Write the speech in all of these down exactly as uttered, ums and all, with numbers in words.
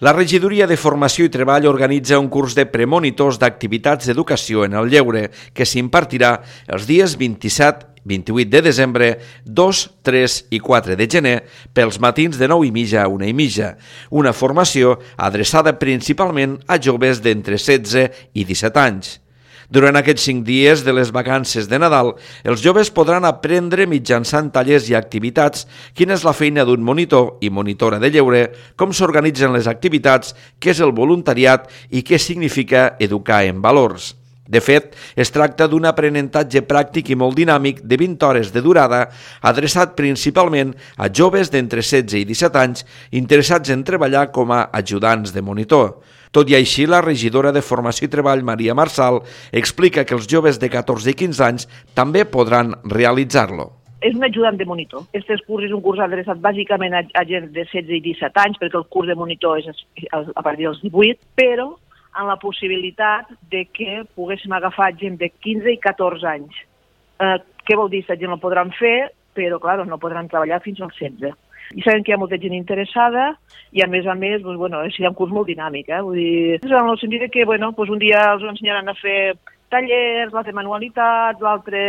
La Regidoria de Formació i Treball organitza un curs de premonitors d'activitats d'educació en el lleure que s'impartirà els dies vint-i-set i vint-i-vuit de desembre, dos, tres i quatre de gener pels matins de nou i mitja a una i mitja. Una formació adreçada principalment a joves d'entre setze i disset anys. Durant aquests cinc dies de les vacances de Nadal, els joves podran aprendre mitjançant tallers i activitats quina és la feina d'un monitor i monitora de lleure, com s'organitzen les activitats, què és el voluntariat i què significa educar en valors. De fet, es tracta d'un aprenentatge pràctic i molt dinàmic de vint hores de durada, adreçat principalment a joves d'entre setze i disset anys interessats en treballar com a ajudants de monitor. Tot i així, la regidora de Formació i Treball, Maria Marsal, explica que els joves de catorze i quinze anys també podran realitzar-lo. És un ajudant de monitor. Este curs és un curs adreçat bàsicament a, a gent de setze i disset anys, perquè el curs de monitor és a partir dels divuit, però amb la possibilitat de que poguéssim agafar gent de quinze i catorze anys. Eh, què vol dir? Aquesta gent ho podran fer, però clar, no podran treballar fins als setze. I sabem que hi ha molta gent interessada i a més a més doncs, bueno, serà un curs molt dinàmic. Eh? Vull dir, en el sentit que bueno, doncs un dia els ensenyaran a fer tallers, l'altre manualitats, l'altre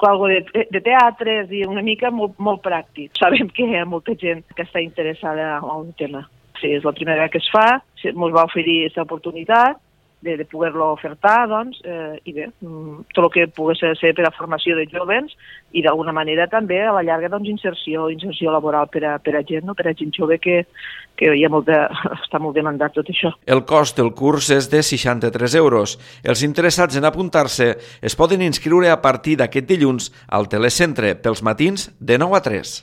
algo de, de teatre, és dir, una mica molt, molt pràctic. Sabem que hi ha molta gent que està interessada en un tema. Sí, és la primera vegada que es fa, ens va oferir aquesta oportunitat de, de poder-lo ofertar, doncs, eh, i bé, tot el que pogués ser per a formació de joves i d'alguna manera també a la llarga doncs, inserció, inserció laboral per a, per a gent, no? Per a gent jove que, que hi ha molt de, està molt demandat tot això. El cost del curs és de seixanta-tres euros. Els interessats en apuntar-se es poden inscriure a partir d'aquest dilluns al telecentre pels matins de nou a tres.